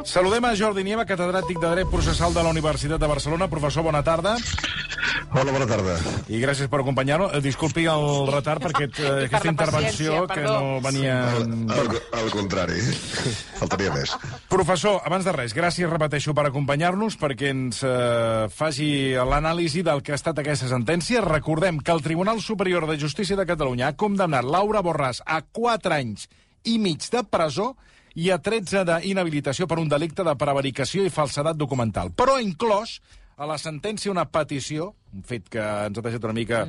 Saludem a Jordi Nieva, catedràtic de Dret Processal de la Universitat de Barcelona. Professor, bona tarda. Hola, bona tarda. I gràcies per acompanyar-nos. Disculpi el retard perquè aquesta intervenció que no venia... Al contrari, faltaria més. Professor, abans de res, gràcies, repeteixo, per acompanyar-nos, perquè ens faci l'anàlisi del que ha estat aquesta sentència. Recordem que el Tribunal Superior de Justícia de Catalunya ha condemnat Laura Borràs a 4 anys i mig de presó i a 13 d'inhabilitació per un delicte de prevaricació i falsedat documental. Però ha inclòs a la sentència una petició, un fet que ens ha deixat una mica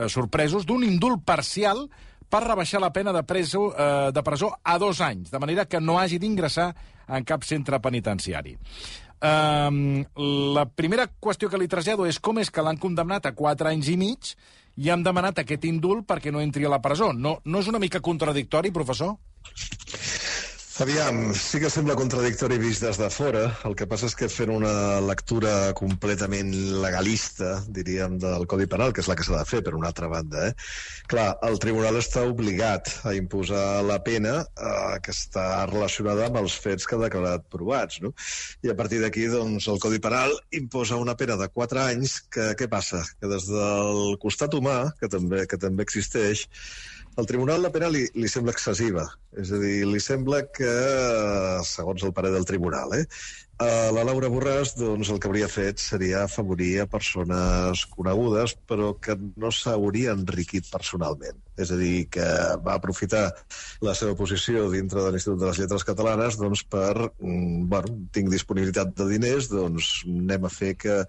sorpresos, d'un indult parcial per rebaixar la pena de presó a 2 anys, de manera que no hagi d'ingressar en cap centre penitenciari. La primera qüestió que li trasllado és com és que l'han condemnat a 4 anys i mig i han demanat aquest indult perquè no entri a la presó. No és una mica contradictori, professor? Aviam, sí que sembla contradictori vist des de fora. El que passa és que fent una lectura completament legalista, diríem, del Codi Penal, que és la que s'ha de fer, per una altra banda, clar, el tribunal està obligat a imposar la pena que està relacionada amb els fets que ha declarat provats, no? I a partir d'aquí, doncs, el Codi Penal imposa una pena de 4 anys, que què passa? Que des del costat humà, que també existeix, al tribunal la pena li sembla excessiva. És a dir, li sembla que, segons el parer del tribunal, la Laura Borràs, doncs, el que hauria fet seria afavorir a persones conegudes, però que no s'hauria enriquit personalment. És a dir, que va aprofitar la seva posició dintre de l'Institut de les Lletres Catalanes doncs, per, tinc disponibilitat de diners, doncs anem a fer que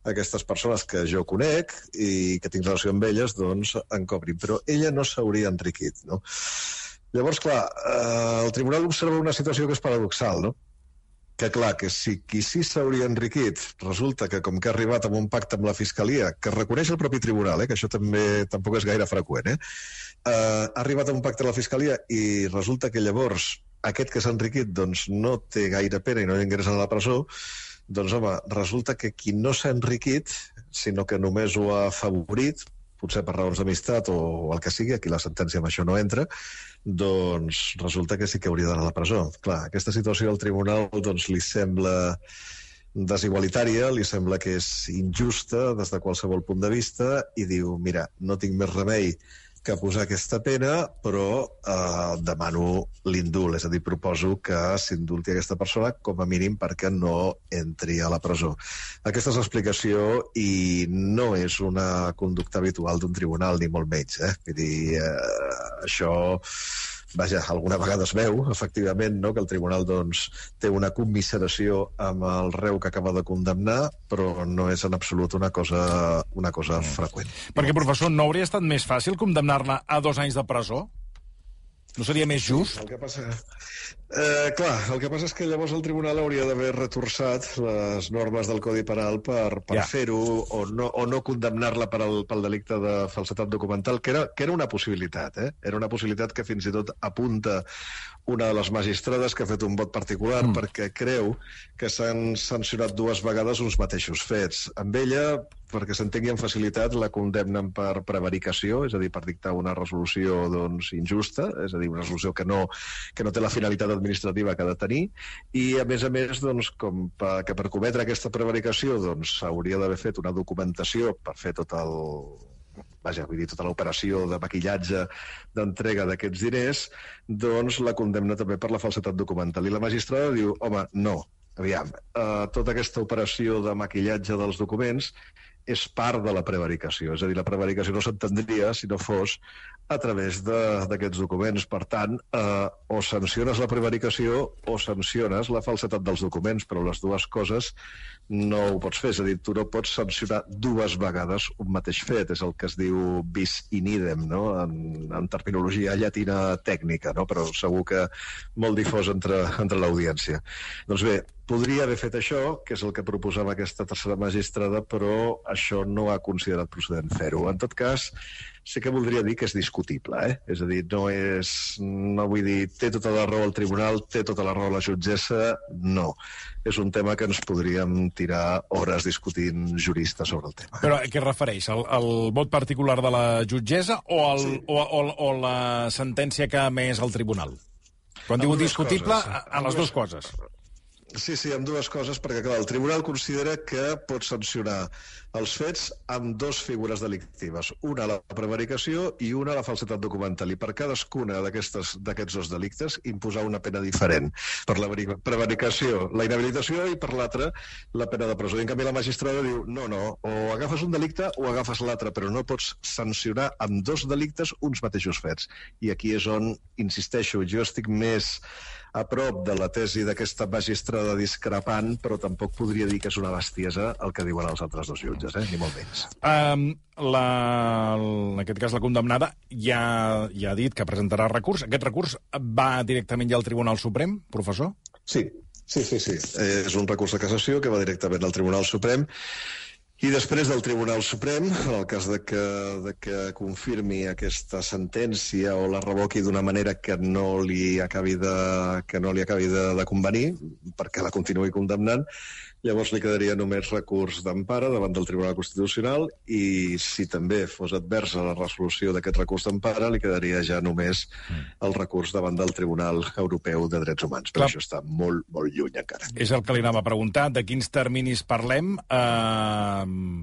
aquestes persones que jo conec i que tinc relació amb elles, doncs, en cobrin. Però ella no s'hauria enriquit, no? Llavors, clar, el tribunal observa una situació que és paradoxal, no? Que, clar, que si qui sí s'hauria enriquit resulta que, com que ha arribat a un pacte amb la Fiscalia, que reconeix el propi tribunal, que això tampoc és gaire freqüent, ha arribat a un pacte amb la Fiscalia i resulta que llavors aquest que s'ha enriquit doncs, no té gaire pena i no ingressa a la presó, doncs, home, resulta que qui no s'ha enriquit, sinó que només ho ha afavorit, potser per raons d'amistat o el que sigui, aquí la sentència amb això no entra, doncs resulta que sí que hauria d'anar a la presó. Clar, aquesta situació al tribunal doncs, li sembla desigualitària, li sembla que és injusta des de qualsevol punt de vista i diu, mira, no tinc més remei que posar aquesta pena, però demano l'indult, és a dir, proposo que s'indulti aquesta persona com a mínim perquè no entri a la presó. Aquesta és l'explicació i no és una conducta habitual d'un tribunal, ni molt menys. Vull dir, això... Vaja, alguna vegada es veu, efectivament, no? Que el tribunal doncs, té una commiseració amb el reu que acaba de condemnar, però no és en absolut una cosa freqüent. Perquè, professor, no hauria estat més fàcil condemnar-la a 2 anys de presó? No seria més just? El que passa és que llavors el tribunal hauria d'haver retorçat les normes del Codi Penal per fer-ho o no condemnar-la pel delicte de falsedat documental, que era una possibilitat. Era una possibilitat que fins i tot apunta una de les magistrades que ha fet un vot particular perquè creu que s'han sancionat 2 vegades uns mateixos fets. Amb ella, perquè s'entengui amb facilitat, la condemnen per prevaricació, és a dir, per dictar una resolució doncs, injusta, és a dir, una resolució que no té la finalitat administrativa que ha de tenir, i a més, doncs, que per cometre aquesta prevaricació doncs, s'hauria d'haver fet una documentació per fer tota l'operació de maquillatge d'entrega d'aquests diners, doncs la condemna també per la falsedat documental. I la magistrada diu, home, no, aviam, tota aquesta operació de maquillatge dels documents és part de la prevaricació. És a dir, la prevaricació no s'entendria si no fos a través d'aquests documents. Per tant, o sanciones la prevaricació o sanciones la falsedat dels documents, però les dues coses no ho pots fer. És a dir, tu no pots sancionar 2 vegades un mateix fet. És el que es diu bis in idem, no? En terminologia llatina tècnica, no? Però segur que molt difós entre l'audiència. Doncs bé, podria haver fet això, que és el que proposava aquesta tercera magistrada, però això no ha considerat procedent fer-ho. En tot cas, sí que voldria dir que és discutible, És a dir, no vull dir, té tota la raó el tribunal, té tota la raó la jutgessa, no. És un tema que ens podríem tirar hores discutint juristes sobre el tema. Però a què es refereix? El vot particular de la jutgessa o la sentència que ha emès el tribunal? Quan diu discutible, a les 2 coses. Sí, amb dues coses, perquè clar, el tribunal considera que pot sancionar els fets amb dues figures delictives, una la prevaricació i una la falsedat documental, i per cadascuna d'aquests dos delictes imposar una pena diferent. Per la prevaricació, la inhabilitació, i per l'altra, la pena de presó. I en canvi la magistrada diu, no, o agafes un delicte o agafes l'altre, però no pots sancionar amb dos delictes uns mateixos fets. I aquí és on, insisteixo, jo estic més a prop de la tesi d'aquesta magistrada discrepant, però tampoc podria dir que és una bestiesa el que diuen els altres dos jutges, ni molt menys. En aquest cas, la condemnada ja ha dit que presentarà recurs. Aquest recurs va directament ja al Tribunal Suprem, professor? Sí. És un recurs de cassació que va directament al Tribunal Suprem. I després del Tribunal Suprem, en el cas de que confirmi aquesta sentència o la revoqui d'una manera que no li acabi de convenir, perquè la continuï condemnant, llavors li quedaria només recurs d'empara davant del Tribunal Constitucional, i si també fos adversa la resolució d'aquest recurs d'empara, li quedaria ja només el recurs davant del Tribunal Europeu de Drets Humans. Però això està molt, molt lluny encara. És el que li anava a preguntar, de quins terminis parlem,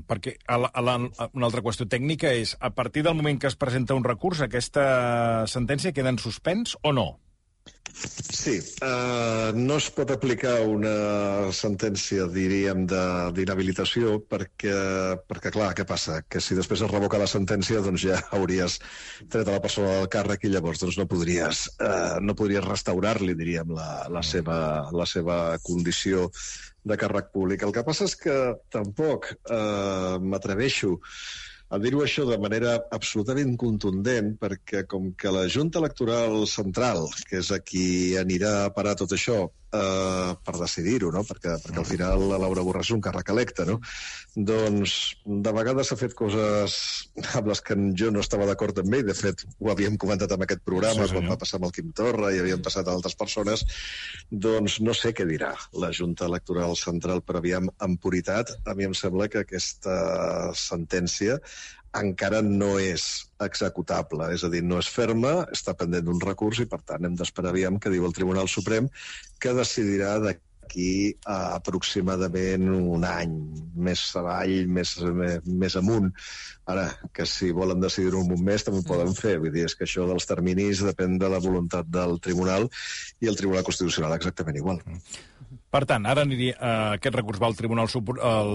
perquè una altra qüestió tècnica és, a partir del moment que es presenta un recurs, aquesta sentència queda en suspens o no? Sí, no es pot aplicar una sentència, diríem, d'inhabilitació perquè, clar, què passa? Que si després es revoca la sentència, doncs ja hauries tret a la persona del càrrec i llavors doncs, no podries restaurar-li, diríem, la seva condició de càrrec públic. El que passa és que tampoc m'atreveixo a dir-ho això de manera absolutament contundent, perquè com que la Junta Electoral Central, que és a qui anirà a parar tot això per decidir-ho, no? perquè al final la Laura Borràs és un càrrec electe, no? Doncs de vegades s'ha fet coses amb les que jo no estava d'acord amb ell. De fet, ho havíem comentat en aquest programa, quan va passar amb el Quim Torra i havien passat a altres persones. Doncs no sé què dirà la Junta Electoral Central, però aviam, en puritat, a mi em sembla que aquesta sentència encara no és executable, és a dir, no és ferma, està pendent d'un recurs i, per tant, hem d'esperar aviam què diu el Tribunal Suprem, que decidirà d'aquí a aproximadament un any, més avall, més amunt. Ara, que si volen decidir-ho en un mes també ho poden fer, vull dir, és que això dels terminis depèn de la voluntat del Tribunal i el Tribunal Constitucional exactament igual. Per tant, ara aquest recurs va al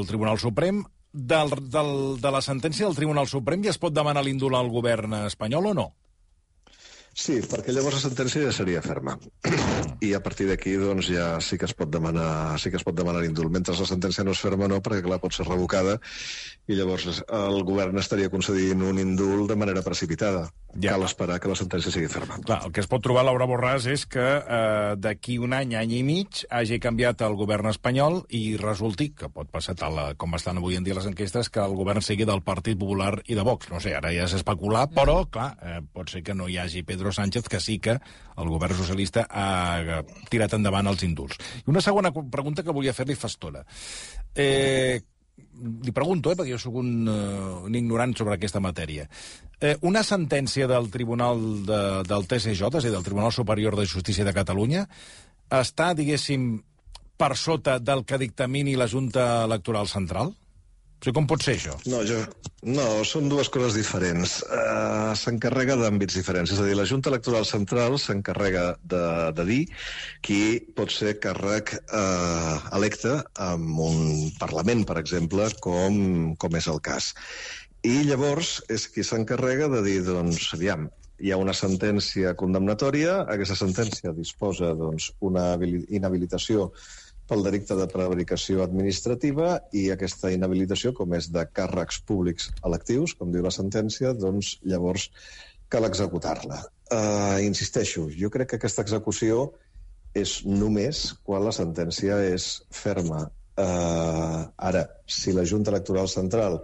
Tribunal Suprem. De la sentència del Tribunal Suprem ja es pot demanar l'indult al govern espanyol o no? Sí, perquè llavors la sentència ja seria ferma. I a partir d'aquí doncs, ja sí que es pot demanar l'indult. Mentre la sentència no és ferma, no, perquè clar, pot ser revocada i llavors el govern estaria concedint un indult de manera precipitada. Ja. Cal esperar que la sentència sigui ferma. Clar, el que es pot trobar, Laura Borràs, és que d'aquí un any i mig, hagi canviat el govern espanyol i resulti, que pot passar tal com estan avui en dia les enquestes, que el govern sigui del Partit Popular i de Vox. No sé, ara ja és especular, però, clar, pot ser que no hi hagi Pedro Sánchez, que sí que el govern socialista ha tirat endavant els indults. I una segona pregunta que volia fer-li fa estona. Li pregunto, perquè jo sóc un ignorant sobre aquesta matèria. Una sentència del Tribunal del TSJ, és a dir, del Tribunal Superior de Justícia de Catalunya, està, diguéssim, per sota del que dictamini la Junta Electoral Central? O sigui, com pot ser això? No, són dues coses diferents. S'encarrega d'àmbits diferents. És a dir, la Junta Electoral Central s'encarrega de dir qui pot ser càrrec electe en un Parlament, per exemple, com és el cas. I llavors és qui s'encarrega de dir, doncs, aviam, hi ha una sentència condemnatòria, aquesta sentència disposa una inhabilitació pel delicte de prevaricació administrativa i aquesta inhabilitació, com és de càrrecs públics electius, com diu la sentència, doncs llavors cal executar-la. Insisteixo, jo crec que aquesta execució és només quan la sentència és ferma. Ara, si la Junta Electoral Central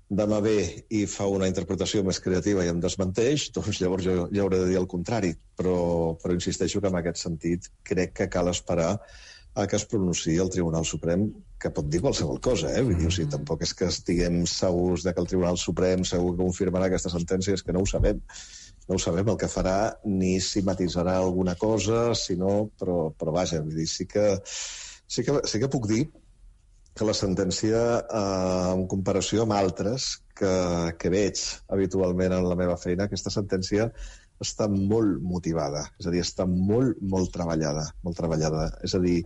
demà ve i fa una interpretació més creativa i em desmenteix, doncs llavors jo hauré de dir el contrari. Però insisteixo que en aquest sentit crec que cal esperar a que es pronunciï el Tribunal Suprem, que pot dir qualsevol cosa, Vull dir, o sigui, tampoc és que estiguem segurs de que el Tribunal Suprem segur que confirmarà aquesta sentència, és que no ho sabem. No ho sabem el que farà, ni si matisarà alguna cosa, si no, però vaja, vull dir, sí que Sí que puc dir que la sentència, en comparació amb altres que veig habitualment en la meva feina, aquesta sentència està molt motivada, és a dir, està molt, molt treballada. És a dir,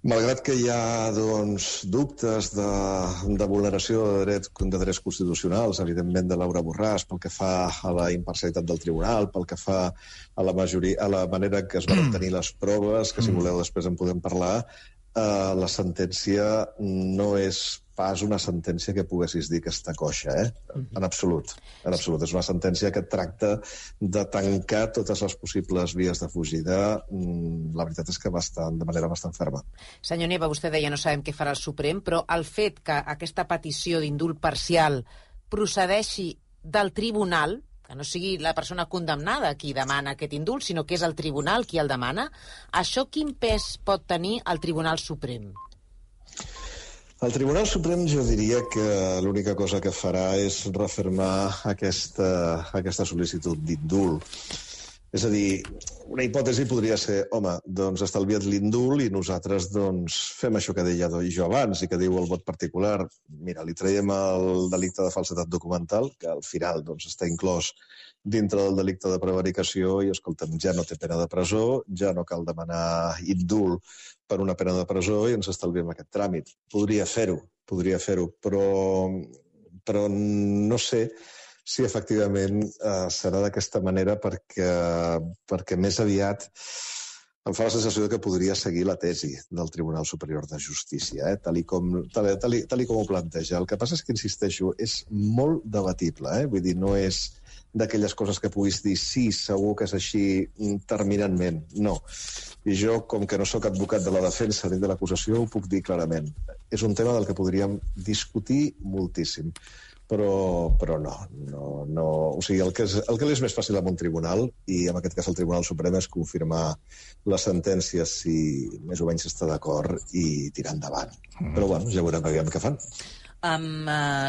malgrat que hi ha dubtes de vulneració de drets constitucionals, evidentment de Laura Borràs, pel que fa a la imparcialitat del tribunal, pel que fa a la manera que es van obtenir les proves, que si voleu després en podem parlar, la sentència no és pas una sentència que poguessis dir que està coixa, En absolut. És una sentència que tracta de tancar totes les possibles vies de fugida, la veritat és que de manera bastant ferma. Senyor Nieva, vostè deia no sabem què farà el Suprem, però el fet que aquesta petició d'indult parcial procedeixi del tribunal, que no sigui la persona condemnada qui demana aquest indult, sinó que és el tribunal qui el demana, això quin pes pot tenir el Tribunal Suprem? El Tribunal Suprem jo diria que l'única cosa que farà és refermar aquesta sol·licitud d'indult. És a dir, una hipòtesi podria ser, home, doncs estalvia't l'indult i nosaltres fem això que deia jo abans i que diu el vot particular. Mira, li traiem el delicte de falsedat documental, que al final està inclòs dintre del delicte de prevaricació i, escolta'm, ja no té pena de presó, ja no cal demanar indult per una pena de presó i ens estalviem aquest tràmit. Podria fer-ho, però no sé si efectivament serà d'aquesta manera perquè més aviat em fa la sensació que podria seguir la tesi del Tribunal Superior de Justícia, tal com ho planteja. El que passa és que, insisteixo, és molt debatible, vull dir, no és d'aquelles coses que puguis dir sí, segur que és així terminantment. No. I jo, com que no sóc advocat de la defensa ni de l'acusació, ho puc dir clarament. És un tema del que podríem discutir moltíssim. Però no. O sigui, el que li és més fàcil a un tribunal, i en aquest cas el Tribunal Suprem, és confirmar la sentència si més o menys està d'acord i tirar endavant. Però bueno, ja veurem què fan.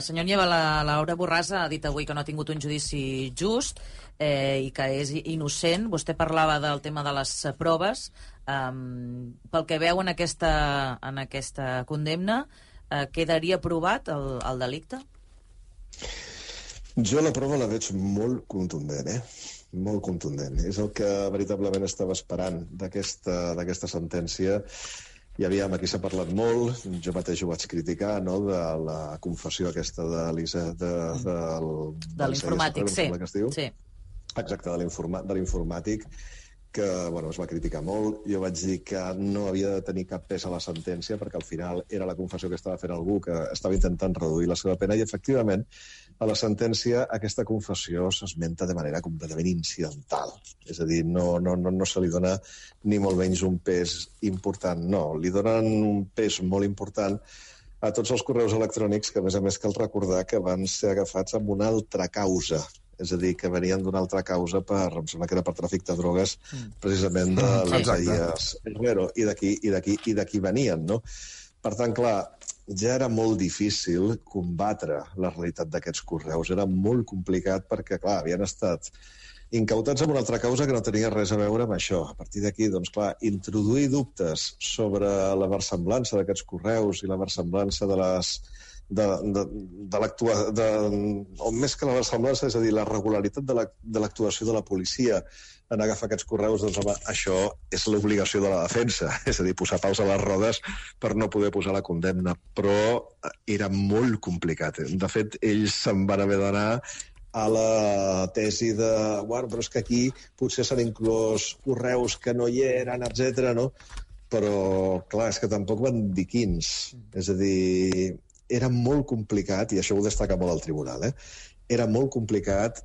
Senyor Nieva, la Laura Borràs ha dit avui que no ha tingut un judici just i que és innocent. Vostè parlava del tema de les proves. Pel que veu en aquesta condemna, quedaria provat el delicte? Jo la prova la veig molt contundent, molt contundent. És el que veritablement estava esperant d'aquesta sentència. I aviam, aquí s'ha parlat molt, jo mateix ho vaig criticar, no?, de la confessió aquesta de l'informàtic, sí. Exacte, de l'informàtic, que es va criticar molt. Jo vaig dir que no havia de tenir cap pes a la sentència perquè al final era la confessió que estava fent algú que estava intentant reduir la seva pena i, efectivament, a la sentència aquesta confessió s'esmenta de manera completament incidental. És a dir, no se li dona ni molt menys un pes important. No, li donen un pes molt important a tots els correus electrònics que, a més, cal recordar que van ser agafats amb una altra causa. És a dir, que venien d'una altra causa em sembla que era per tràfic de drogues, precisament de l'Isaías Herrero, i d'aquí venien, no? Per tant, clar, ja era molt difícil combatre la realitat d'aquests correus. Era molt complicat perquè, clar, havien estat incautats amb una altra causa que no tenia res a veure amb això. A partir d'aquí, doncs, clar, introduir dubtes sobre la versemblança d'aquests correus i la versemblança o més que la versemblança, és a dir, la regularitat de l'actuació de la policia en agafar aquests correus, doncs, home, això és l'obligació de la defensa, és a dir, posar paus a les rodes per no poder posar la condemna, però era molt complicat. De fet, ells se'n van haver d'anar a la tesi de, bueno, però és que aquí potser s'han inclòs correus que no hi eren, etc. no? Però, clar, és que tampoc van dir quins. És a dir, era molt complicat, i això ho destaca molt el tribunal, era molt complicat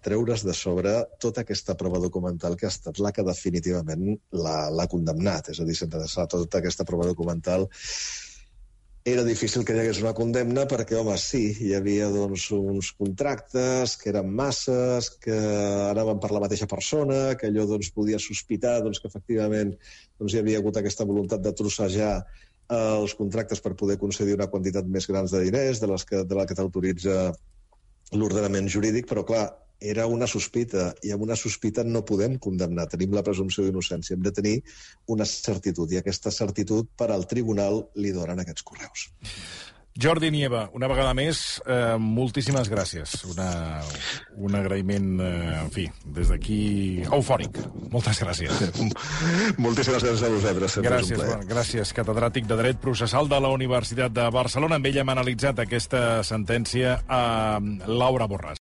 treure's de sobre tota aquesta prova documental que ha estat la que definitivament l'ha condemnat. És a dir, sense tota aquesta prova documental era difícil que hi hagués una condemna perquè, home, sí, hi havia uns contractes que eren masses, que anaven per la mateixa persona, que allò podia sospitar que efectivament hi havia hagut aquesta voluntat de trossejar els contractes per poder concedir una quantitat més gran de diners de la que t'autoritza l'ordenament jurídic, però, clar, era una sospita, i amb una sospita no podem condemnar. Tenim la presumpció d'innocència, hem de tenir una certitud, i aquesta certitud per al tribunal li donen aquests correus. Jordi Nieva, una vegada més, moltíssimes gràcies. Un agraïment, en fi, des d'aquí eufòric. Moltes gràcies. Moltíssimes gràcies a vosaltres. Gràcies, catedràtic de Dret Processal de la Universitat de Barcelona. Amb ell hem analitzat aquesta sentència a Laura Borràs.